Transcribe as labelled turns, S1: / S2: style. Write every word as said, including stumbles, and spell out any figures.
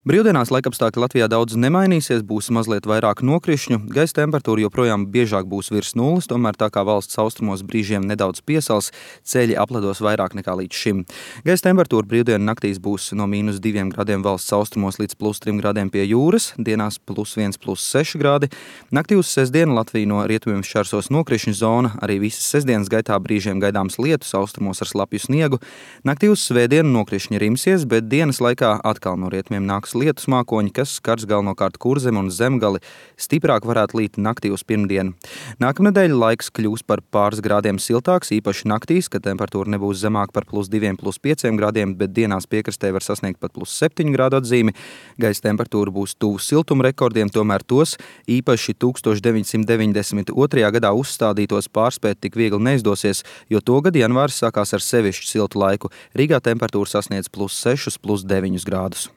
S1: Brīvdienās laikapstākļi Latvijā daudz nemainīsies, būs mazliet vairāk nokrišņu, gaisa temperatūra joprojām biežāk būs virs nulles, tomēr tā kā valsts austrumos brīžiem nedaudz piesals, ceļi aplados vairāk nekā līdz šim. Gaisa temperatūra brīvdienu naktīs būs no mīnus diviem grādiem valsts austrumos līdz plus trim grādiem pie jūras, dienās plus viens, plus seši grādi. Naktī uz sestdienu Latviju no rietumiem šķērsos nokrišņu zona, arī visas sestdienas gaitā brīžiem gaidāms lietus, austrumos ar slapju sniegu. Naktī uz svētdienu nokrišņi rimsies, bet dienas laikā atkal no rietumiem nāks lietus mākoņi, kas skars galvenokārt Kurzemi un Zemgali, stiprāk varētu līt naktī uz pirmdienu. Nākamnedēļ laiks kļūs par pāris grādiem siltāks, īpaši naktīs, kad temperatūra nebūs zemāk par plus diviem, plus pieciem grādiem, bet dienās piekrastē var sasniegt pat plus septiņu grādu atzīmi. Gaisa temperatūra būs tuvu siltuma rekordiem, tomēr tos īpaši tūkstoš deviņsimt deviņdesmit otrajā gadā uzstādītos pārspēt tik viegli neizdosies, jo to gadu janvārs sākās ar sevišķu siltu laiku. Rīgā temperatūra sasniedz plus sešus, plus deviņus grādus.